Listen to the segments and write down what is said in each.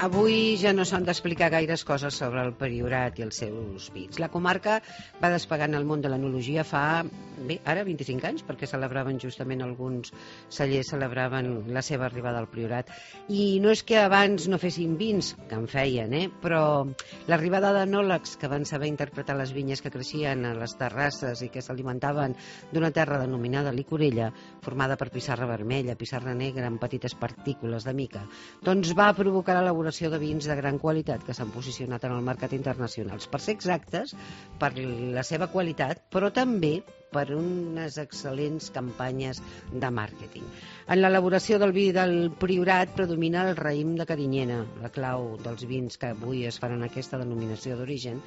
avui ja no s'han d'explicar gaires coses sobre el Priorat i els seus vins. La comarca va despegant el món de l'enologia fa, bé, ara 25 anys, perquè celebraven justament alguns cellers, celebraven la seva arribada al Priorat. I no és que abans no fessin vins, que en feien, però l'arribada d'enòlegs que van saber interpretar les vinyes que creixien a les terrasses i que s'alimentaven d'una terra denominada licorella, formada per pissarra vermella, pissarra negra amb petites partícules de mica, doncs va provocar l'elaboració de vins de gran qualitat que s'han posicionat en el mercat internacional. Per ser exactes, per la seva qualitat, però també per unes excel·lents campanyes de màrqueting. En l'elaboració del vi del Priorat predomina el raïm de Carinyena. La clau dels vins que avui es fan en aquesta denominació d'origen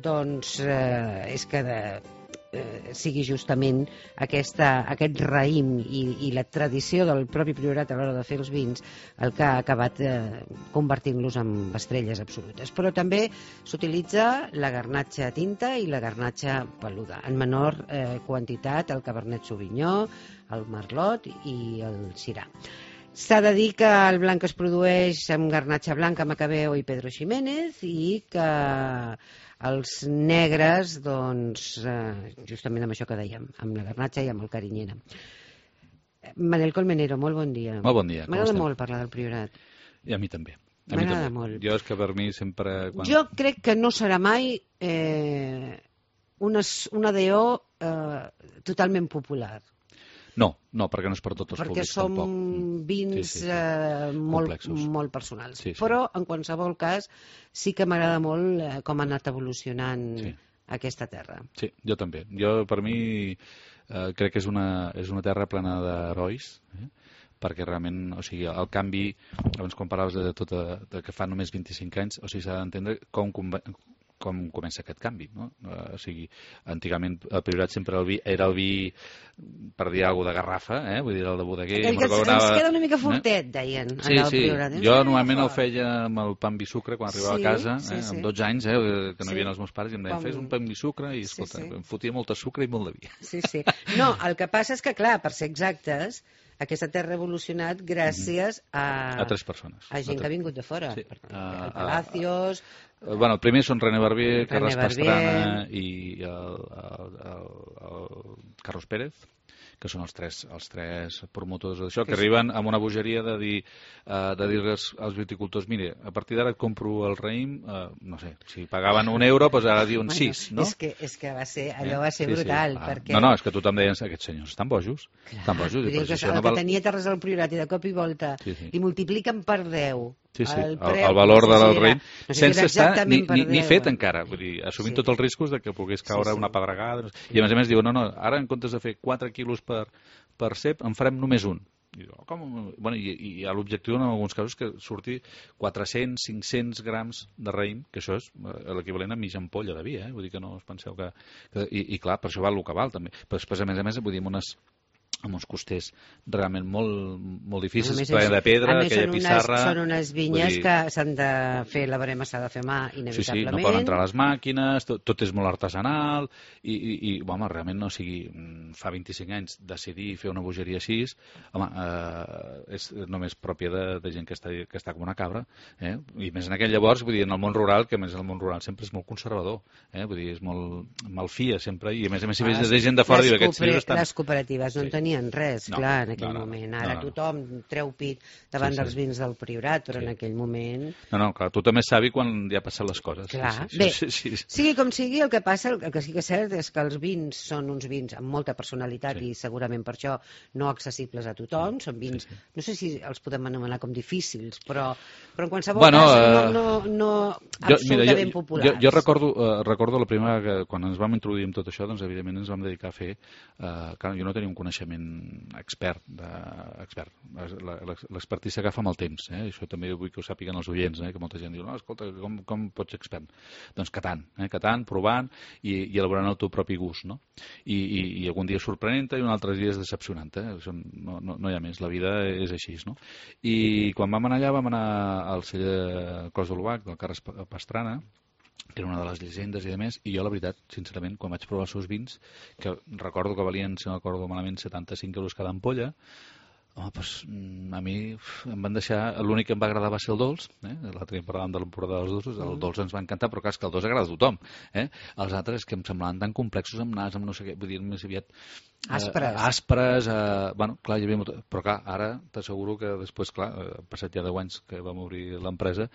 doncs és que sigui justament aquest raïm i la tradició del propi Priorat a l'hora de fer els vins el que ha acabat convertint-los en estrelles absolutes. Però també s'utilitza la garnatxa tinta i la garnatxa peluda, en menor quantitat el Cabernet Sauvignon, el Merlot i el Syrah. S'ha de dir que el blanc es produeix amb garnatxa blanca, Macabeo i Pedro Ximénez i que els negres, doncs, justament amb això que dèiem, amb la garnatxa i amb el Carinyena. Manel Colmenero, molt bon dia. Molt bon dia. M'agrada molt parlar del Priorat. I a mi també. M'agrada molt. Jo és que per mi sempre... Jo crec que no serà mai una DO totalment popular. No, perquè no és per tots els perquè públics tampoc. Perquè són vins molt personals. Sí. Però, en qualsevol cas, sí que m'agrada molt com ha anat evolucionant aquesta terra. Sí, jo també. Jo, per mi, crec que és una terra plena d'herois, perquè realment, o sigui, el canvi, abans quan parlaves de que fa només 25 anys, o sigui, s'ha d'entendre com comença aquest canvi, no? O sigui, antigament el Priorat sempre era el vi, per dir alguna cosa, de garrafa, vull dir, el de bodeguer. El que ens queda una mica fortet, deien, allà al Priorat. Jo normalment el feia amb el pa amb vi sucre quan arribava a casa, amb 12 anys, que no hi havia els meus pares, i em deien, fes un pa amb vi sucre, i escolta, em fotia molta sucre i molt de vi. Sí. No, el que passa és que, clar, per ser exactes, aquesta terra ha evolucionat gràcies a 3 persones. A gent que ha vingut de fora. Sí. El Palacios... Bueno, el primer són René Barbier, Carles Pastrana i el Carlos Pérez, que són els tres promotors d'això, que arriben amb una bogeria de dir als viticultors, mire, a partir d'ara et compro el raïm, no sé, si pagaven €1, doncs ara diuen 6, no? És que allò va ser brutal. Perquè... No, és que tothom deia, aquests senyors estan bojos. Estan bojos. El que tenia terres al Priorat i de cop i volta i multipliquen per 10 el valor del raïm, sense estar ni fet encara, vull dir, assumint tots els riscos de que pogués caure una pedregada, i a més diuen, no, ara en comptes de fer 4 quilos per cep, en farem només un. I l'objectiu en alguns casos que surti 400-500 grams de raïm, que això és l'equivalent a mitja ampolla de vi, vull dir que no us penseu que... I clar, per això val el que val també, però després a més vull dir, amb uns costers realment molt difícils, ple de pedra, aquella pissarra... Són unes vinyes que s'han de fer, la barema s'ha de fer mà, inevitablement. Sí, no poden entrar les màquines, tot és molt artesanal, i realment, no sigui, fa 25 anys decidir fer una bogeria així, home, és només pròpia de gent que està com una cabra, i més en aquell llavors, vull dir, en el món rural, que a més el món rural sempre és molt conservador, vull dir, és molt malfia sempre, i a més si vés de gent de fora, diu, aquests senyors estan... Les cooperatives no tenien res, clar, en aquell moment. Ara tothom treu pit davant dels vins del Priorat, però en aquell moment... No, clar, tothom és savi quan ja passen les coses. Clar, bé, sigui com sigui, el que passa, el que sí que és cert és que els vins són uns vins amb molta personalitat i segurament per això no accessibles a tothom, són vins, no sé si els podem anomenar com difícils, però en qualsevol cas no absolutament populars. Jo recordo la primera, quan ens vam introduir amb tot això, doncs evidentment ens vam dedicar a fer, clar, jo no tenia un coneixement expert. L'expertís s'agafa amb el temps. Això també vull que ho sàpiguen els oients, que molta gent diu, no, escolta, com pots ser expert? Doncs catant, provant i elaborant el teu propi gust. I algun dia sorprenent-te i un altre dia és decepcionant. No hi ha més, la vida és així. I quan vam anar allà, vam anar al celler Clos de l'Obac, del Carles Pastrana, que era una de les llegendes i demés, i jo, la veritat, sincerament, quan vaig provar els seus vins, que recordo que valien, si no recordo malament, 75 euros cada ampolla, Home, doncs, a mi em van deixar... L'únic que em va agradar va ser el dolç, l'altre dia parlàvem de l'emporada dels dolços, el dolç ens va encantar, però clar, és que el dolç agrada a tothom. Els altres que em semblaven tan complexos amb nas, amb no sé què, vull dir, més aviat... Aspres, bueno, clar, hi havia molt... Però clar, ara t'asseguro que després, clar, passat ja 10 anys que vam obrir l'empresa,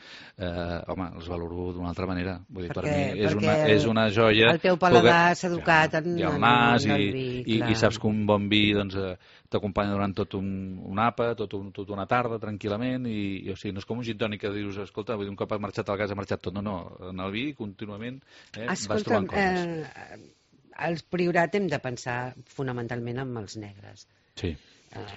home, els valoro d'una altra manera. Vull dir, per mi és una joia... El teu paladar s'ha educat en el nas i saps que un bon vi, doncs, t'acompanya durant tot un àpat, tot una tarda, tranquil·lament, i o sigui, no és com un gin tònic que dius, escolta, un cop has marxat al gas ha marxat tot. No, en el vi, contínuament, vas trobant coses. Als Priorat hem de pensar fonamentalment en els negres. Sí.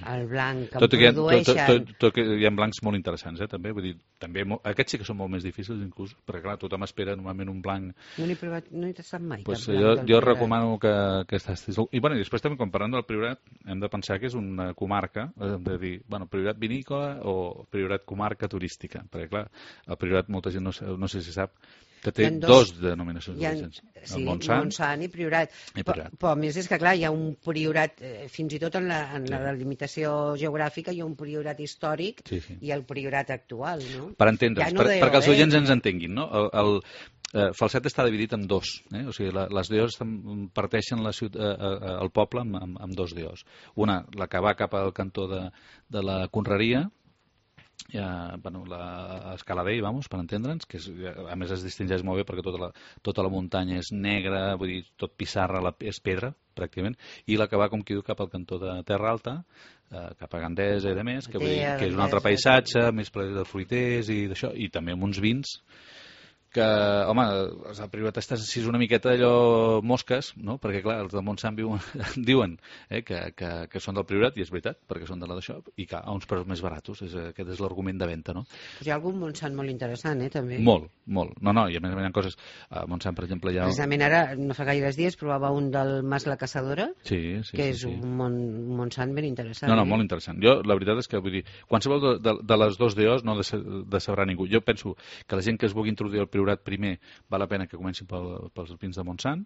El blanc que produeixen... Tot que hi ha blancs molt interessants, també. Vull dir, també aquests sí que són molt més difícils, inclús, perquè clar, tothom espera normalment un blanc... No n'he provat, no he tastat mai. Pues jo recomano que tastis... I bueno, després també, quan parlem del Priorat, hem de pensar que és una comarca, hem de dir, bueno, Priorat vinícola o Priorat comarca turística, perquè clar, el Priorat molta gent no sé si sap que té dos denominacions d'orígens. Sí, Montsant i Priorat. Però a més és que, clar, hi ha un Priorat, fins i tot en la delimitació geogràfica, hi ha un Priorat històric i el Priorat actual, no? Per entendre's, perquè els oients ens entenguin, no? El Falset està dividit en dos, o sigui, les DOs parteixen el poble amb dos DOs. Una, la que va cap al cantó de la Conreria, l'Escaladell, per entendre'ns, que a més es distingeix molt bé perquè tota la muntanya és negra, vull dir, tot pissarra és pedra, pràcticament, i la que va, com qui diu, cap al cantó de Terra Alta, cap a Gandesa i de més, que és un altre paisatge, més ple de fruiters i d'això, i també amb uns vins que, home, el Priorat està així una miqueta allò mosques, no? Perquè, clar, els del Montsant diuen que són del Priorat, i és veritat, perquè són de la d'això, i que a uns preus més baratos. Aquest és l'argument de venda, no? Hi ha algun Montsant molt interessant, també? Molt. No, i a més hi ha coses... A Montsant, per exemple, hi ha... Precisament ara, no fa gaires dies, provava un del Mas la Caçadora, que és un Montsant ben interessant. No, molt interessant. Jo, la veritat és que, vull dir, qualsevol de les dos DOs no decebrar ningú. Jo penso que la gent que es vulgui introduir al Priorat primer val la pena que comencin pels vins de Montsant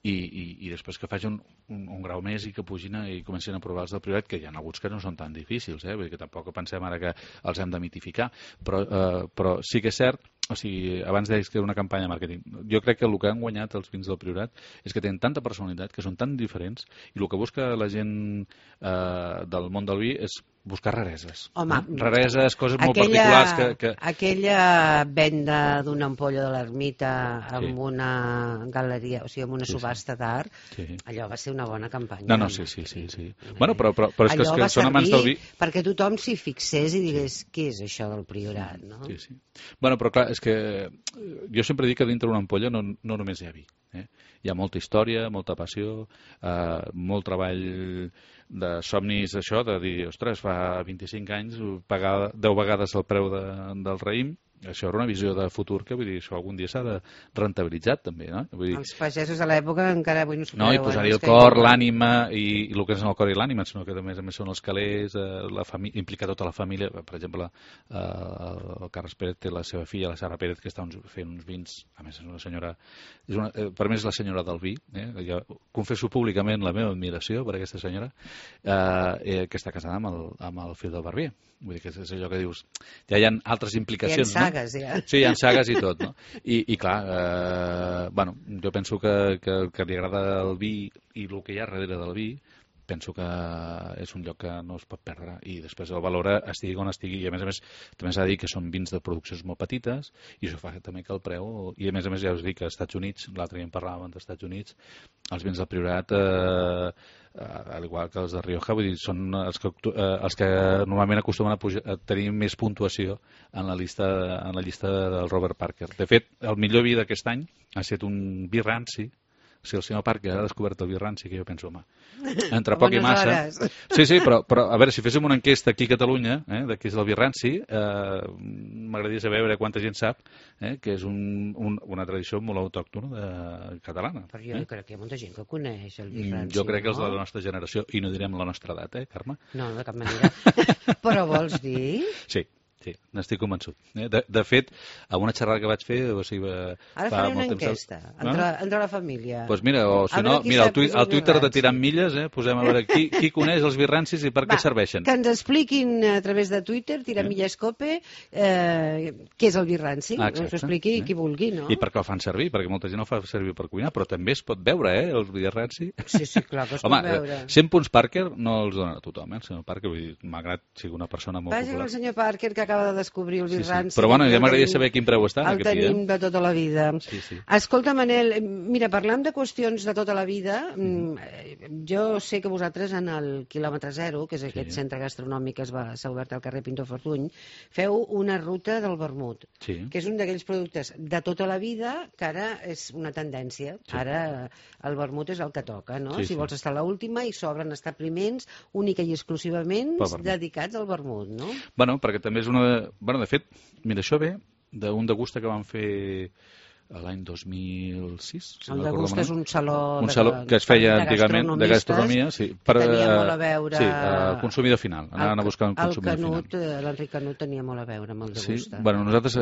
i després que facin un grau més i que pugin i comencin a provar els del Priorat, que hi ha alguns que no són tan difícils, vull dir que tampoc pensem ara que els hem de mitificar, però sí que és cert, o sigui, abans deies que era una campanya de màrqueting. Jo crec que el que han guanyat els vins del Priorat és que tenen tanta personalitat, que són tan diferents, i el que busca la gent del món del vi és buscar rareses. Home, rareses, coses molt particulars que... Aquella venda d'una ampolla de l'ermita amb una galeria, o sigui, amb una subhasta d'art, allò va ser una bona campanya. No, sí. Bueno, però és que són amants del vi... perquè tothom s'hi fixés i digués què és això del Priorat, no? Sí. Bueno, però clar, és que jo sempre dic que dintre d'una ampolla no només hi ha vi. Hi ha molta història, molta passió, molt treball de somnis, això, de dir, ostres, fa 25 anys pagar 10 vegades el preu del raïm, això era una visió de futur que, vull dir, això algun dia s'ha de rentabilitzar també, no? Vull dir... Els pagesos de l'època encara avui no s'ho creuen. No, i posar-hi el cor, l'ànima, i el que és el cor i l'ànima, sinó que a més són els calés, implicar tota la família. Per exemple, el Carles Pérez té la seva filla, la Sara Pérez, que està fent uns vins, a més és una senyora, per mi és la senyora del vi, jo confesso públicament la meva admiració per aquesta senyora, que està casada amb el fill del barber. Vull dir que és allò que dius, ja hi ha altres implicacions, no? Ja. Sí, hi ha sagues i tot, no? I clar, bueno, jo penso que li agrada el vi i el que hi ha darrere del vi, penso que és un lloc que no es pot perdre, i després el valora estigui on estigui, i a més també s'ha de dir que són vins de produccions molt petites, i això fa també que el preu, i a més ja us dic que als Estats Units, l'altre dia en parlàvem dels Estats Units, els vins del Priorat, al igual que els de Rioja, vull dir, són els que normalment acostumen a tenir més puntuació en la llista del Robert Parker. De fet, el millor vi d'aquest any ha estat un vi ranci. Si el senyor Parker ha descobert el vi ranci, que jo penso, home, entre poc i massa... Sí, però a veure, si féssim una enquesta aquí a Catalunya, de què és el vi ranci, m'agradaria saber quanta gent sap que és una tradició molt autòctona catalana. Però jo crec que hi ha molta gent que coneix el vi ranci. Jo crec que els de la nostra generació, i no direm la nostra edat, Carme? No, de cap manera. Però vols dir? Sí. Sí, n'estic convençut. De fet, a una xerrada que vaig fer... Ara faré una enquesta entre la família. Doncs mira, o si no, mira, al Twitter de Tirant Milles, posem a veure qui coneix els birrancis i per què serveixen. Que ens expliquin a través de Twitter, Tirant Milles Cope, què és el birranci. Ens ho expliqui qui vulgui, no? I per què el fan servir, perquè molta gent no fa servir per cuinar, però també es pot veure, el birranci. Sí, clar, que es pot veure. 100 punts Parker no els donen a tothom, el senyor Parker, malgrat sigui una persona molt popular. Vagi el senyor Parker, que acaba de descobrir el birranci. Però bueno, ja m'agradaria saber quin preu està. El tenim de tota la vida. Escolta, Manel, mira, parlant de qüestions de tota la vida, jo sé que vosaltres en el quilòmetre zero, que és aquest centre gastronòmic que s'ha obert al carrer Pintor Fortuny, feu una ruta del vermut, que és un d'aquells productes de tota la vida que ara és una tendència. Ara el vermut és el que toca, no? Si vols estar a l'última, i s'obren establiments única i exclusivament dedicats al vermut, no? Bueno, perquè també és una... Bueno, de fet, mira, això ve d'un degusta que vam fer l'any 2006. El degusta és un saló que es feia antigament de gastronomia, que tenia molt a veure... Sí, consumidor final. Anaven a buscar un consumidor final. L'Enric Canut tenia molt a veure amb el degusta. Sí, bueno, nosaltres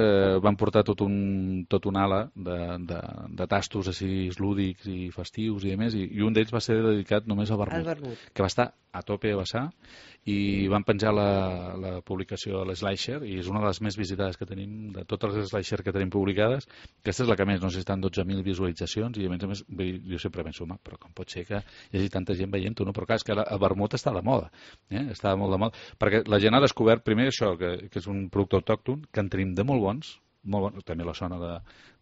vam portar tot un ala de tastos així lúdics i festius i demés, i un d'ells va ser dedicat només al vermut, que va estar a tope a vessar, i van penjar la publicació a l'Slasher, i és una de les més visitades que tenim, de totes les Slasher que tenim publicades. Aquesta és la que més, no sé si estan 12.000 visualitzacions, i a més jo sempre penso, però com pot ser que hi hagi tanta gent veient-ho, no? Però clar, és que el vermut està de moda, està molt de moda, perquè la gent ha descobert primer això, que és un producte autòcton, que en tenim de molt bons, també la zona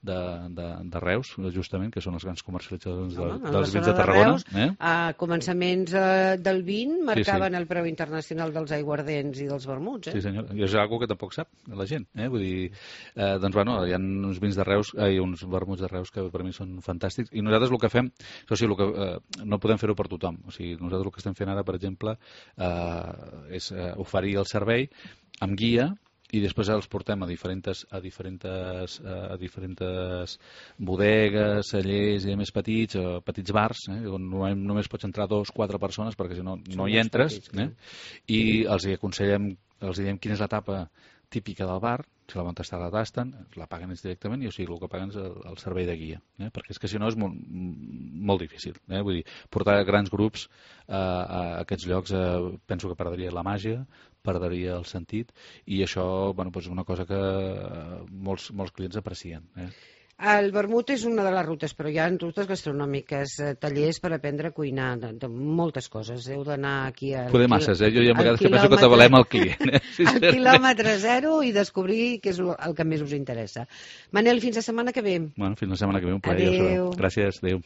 de Reus, justament, que són els grans comercialitzadors dels vins de Tarragona. A començaments del vin marcaven el preu internacional dels aiguardents i dels vermuts. Sí, senyor, i és una cosa que tampoc sap la gent. Vull dir, doncs, bueno, hi ha uns vins de Reus, uns vermuts de Reus que per mi són fantàstics, i nosaltres el que fem, no podem fer-ho per tothom. O sigui, nosaltres el que estem fent ara, per exemple, és oferir el servei amb guia, i després els portem a diferents bodegues, cellers i més petits bars, on només pots entrar 2 o 4 persones, perquè si no hi entres, i els aconsellem, els diem quina és l'etapa típica del bar, si la volen tastar la tasten, la paguen ells directament, i o sigui, el que paguen és el servei de guia, perquè és que si no és molt difícil. Vull dir, portar grans grups a aquests llocs penso que perdria la màgia, perdria el sentit, i això és una cosa que molts clients aprecien. El vermut és una de les rutes, però hi ha rutes gastronòmiques, tallers per aprendre a cuinar, de moltes coses. Heu d'anar aquí al... Poder masses, jo hi ha vegades que penso que t'avalem el client. Al quilòmetre zero, i descobrir què és el que més us interessa. Manel, fins la setmana que ve. Fins la setmana que ve, un plaer. Adéu. Gràcies, adéu.